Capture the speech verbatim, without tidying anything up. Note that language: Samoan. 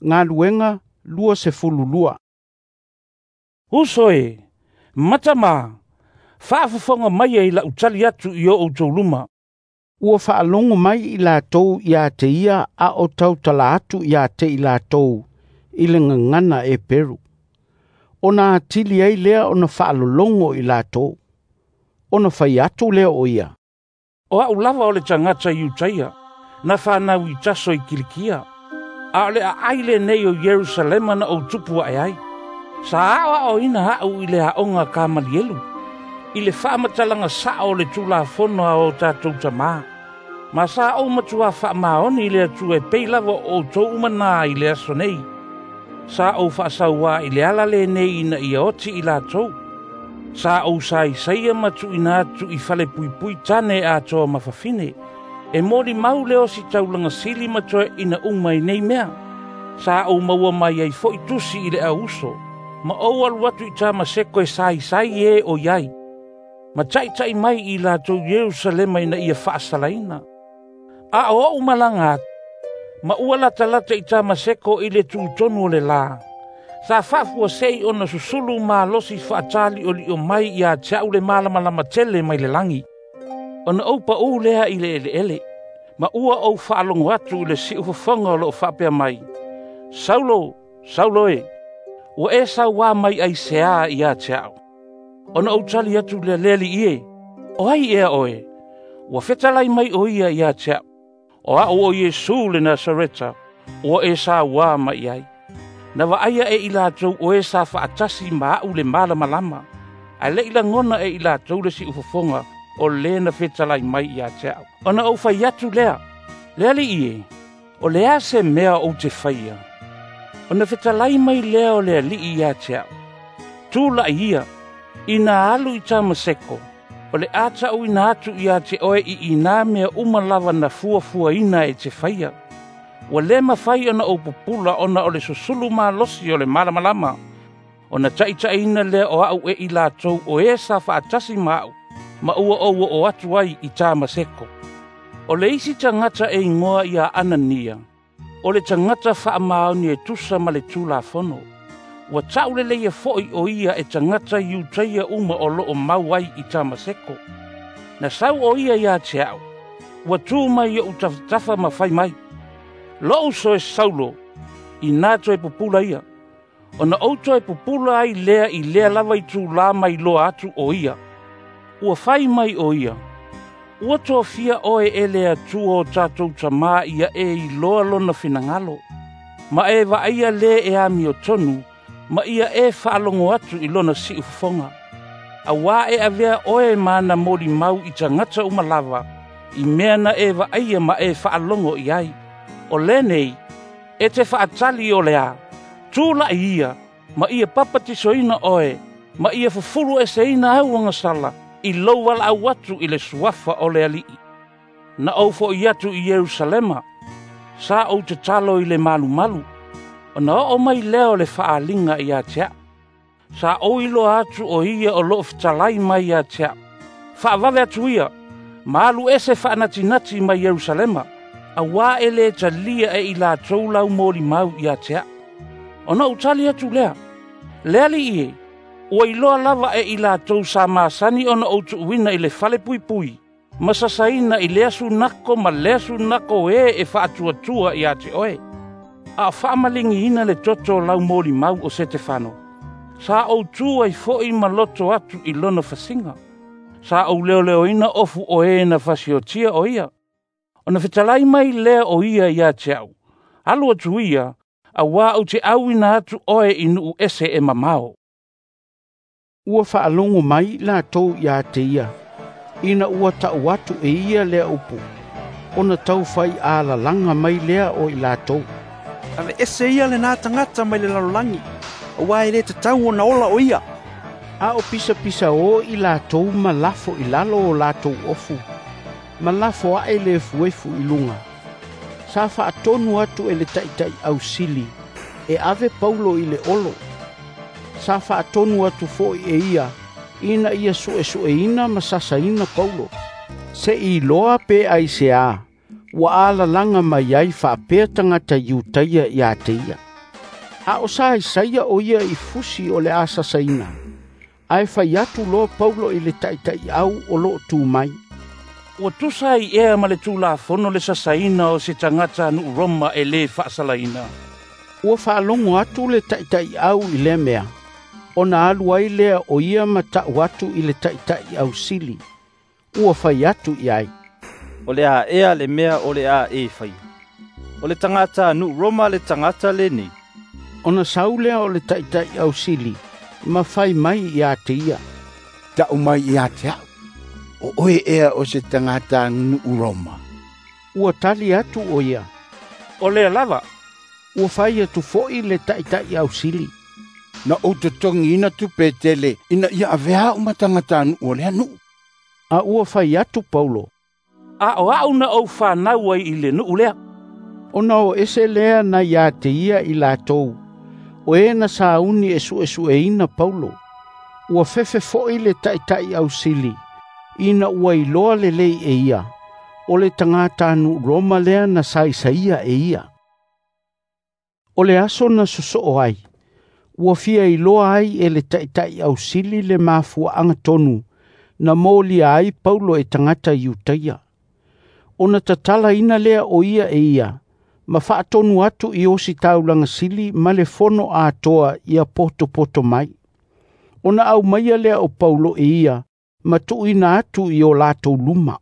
Galuega luasefululua. Uso e, matama, faafofoga mai ai la'u tali atu i o outou luma. Ua faalogo mai i latou ia te ia a o tautala atu ia te i latou i le gagana Eperu. Ona atili ai lea ona faalologo i latou. Ona fai atu lea o ia: O a'u lava o le tagata Iutaia, na fanau i Taso i Kilikia, a o le aai lenei o Ierusalema na ou tupu a'e ai. Sa aoaoina a'u i le aoga a Kamalielu, i le faamatalaga sa'o o le Tulafono a o tatou tamā. Ma sa ou matuā faamaoni i le Atua e pei lava o outou uma na i le aso nei. Sa ou faasauā i le ala lenei ina ia oti i latou. Sa ou saisaia ma tuuina atu i falepuipui tane atoa ma fafine, e molimau le ositaulaga sili ma toeaina uma i nei mea. Sa ou maua mai ai fo'i tusi i le auuso, ma ou alu atu i Tamaseko e saisai e o i ai, ma taʻitaʻi mai i latou Ierusalema ina ia faasalaina. A o o'u malaga atu, ma ua latalata i Tamaseko i le tutonu o le lā, sa faafuase'i ona susulu malosi faatali'oli'o mai ia te a'u le malamalama tele mai le lagi. Ona ou pa'ū lea i le eleele, ma ua ou faalogo atu i le siufofoga o lo'o faapea mai, Saulo, Saulo e, ua e sauā mai aiseā ia te a'u? Ona ou tali atu lea, Le Alii e, o ai ea oe? Ua fetalai mai o ia ia te a'u, O a'u o Iesu le Nasareta, ua e sauā mai ai. Na vaaia e i latou o e sa faatasi ma a'u le malamalama, ae le'i lagona e i latou le siufofoga o lē na fetalai mai ia te a'u. Ona ou fai atu lea, Le Alii e, o le a se mea ou te faia? Ona fetalai mai lea o le Alii ia te a'u, Tula'i ia, ina alu i Tamaseko, o le a ta'uina atu ia te oe i inā mea uma lava na fuafuaina e te faia. Ua lē mafai ona ou pupula ona o le susulu malosi o le malamalama. Ona taʻitaʻiina lea o a'u e i latou o e sa faatasi ma a'u, ma ua ou oo atu ai i Tamaseko. O le isi tagata e igoa ia Anania, o le tagata faamaoni e tusa ma le Tulafono. Ua ta'uleleia fo'i o ia e tagata Iutaia uma o lo'o mau ai i Tamaseko. Na sau o ia ia te a'u, ua tu mai o'u tafatafa ma fai mai, Lo'u uso e Saulo, inā toe pupula ia. Ona ou toe pupula ai lea i lea lava itulā mai loa atu o ia. Ua fai mai o ia, Ua tofia oe e le Atua o tatou tamā ia e iloa lona finagalo, ma e vaaia lē e amiotonu, ma ia e faalogo atu i lona siufofoga. Auā e avea oe ma ana molimau i tagata uma lava, i mea na e vaaia ma e faalogo i ai. O lenei, e te faatali o le a, tula'i ia, ma ia papatisoina oe, ma ia fufulu eseina au agasala, i lou valaau atu i le suafa o le Alii. Na ou fo'i atu i Ierusalema, sa ou tatalo i le malumalu, ona oo mai lea o le faaaliga ia te a'u. Sa ou iloa atu o ia o lo'o fetalai mai ia te a'u. Faavave atu ia, ma alu ese faanatinati mai Ierusalema, auā e lē talia e i latou lau molimau ia te a'u. Ona ou tali atu lea, Le Alii e, ua iloa lava e i latou sa masani ona ou tuuina i le falepuipui, ma sasaina i lea sunako ma lea sunako e e faatuatua ia te oe. A o faamaligiina le toto o lau molimau o Setefano, sa ou tu ai fo'i ma loto atu i lona fasiga. Sa ou leoleoina ofu o e na fasiotia o ia. Ona fetalai mai lea o ia ia te a'u, Alu atu ia, auā ou te auina atu oe i nuu ese e mamao. Ua faalogo mai latou ia te ia, ina ua ta'u atu e ia lea upu, ona taufai alalaga mai lea o i latou. Aveese ia lenā tagata mai le lalolagi, auā e lē tatau ona ola o ia. A o pisapisa o i latou ma lafo i lalo o latou ofu, ma lafo aʻe le efuefu i luga. Sa faatonu atu e le taʻitaʻi ausili e ave Paulo i le olo. Sa faatonu atu fo'i e ia ina ia suʻesuʻeina ma sasaina Paulo, seʻi iloa pe aiseā ua alalaga mai ai faapea tagata Iutaia ia te ia. A o saisaia o ia i fusi o le a sasaina. Ae fai atu loa Paulo i le taitaiau o loo tu mai. Ua tusa ai ea ma le Tulafono le sasaina o se tagata anu'u Roma e lē faasalaina?" Ua faalogo atu le taitaiau i lea mea, ona alu ai lea o ia ma ta'u atu i le taitaiau sili. Ua fai atu i ai, "O le a ea le mea o le a e faia? O le tagata anu'u Roma le tagata lenei." Ona sau lea o le taitaiau sili ma fai mai ia te ia, "Ta'u mai ia te a'u, o oe ea o se tagata anu'u Roma?" Ua tali atu o ia, "O lea lava." Ua fai atu fo'i le taitaiau sili, "Na ou totogiina tupe e tele ina ia avea a'u ma tagata anu'u o lea nu'u." A ua fai atu Paulo, "A o a'u na ou fanau ai i le nu'u lea." Ona o ese lea na ia te ia i latou, o e na sauni e su'esu'eina Paulo. Ua fefe fo'i le taitaiau sili, ina ua iloa lelei e ia, o le tagata anu'u Roma lea na saisaia e ia. O le aso na soso'o ai, ua fia iloa ai e le taitaiau sili le mafua'aga tonu na molia ai Paulo e tagata Iutaia. Ona tatalaina lea o ia e ia, ma faatonu atu i ositaulaga sili ma le fono atoa ia potopoto mai. Ona aumaia lea o Paulo e ia, ma tuuina atu i o latou luma.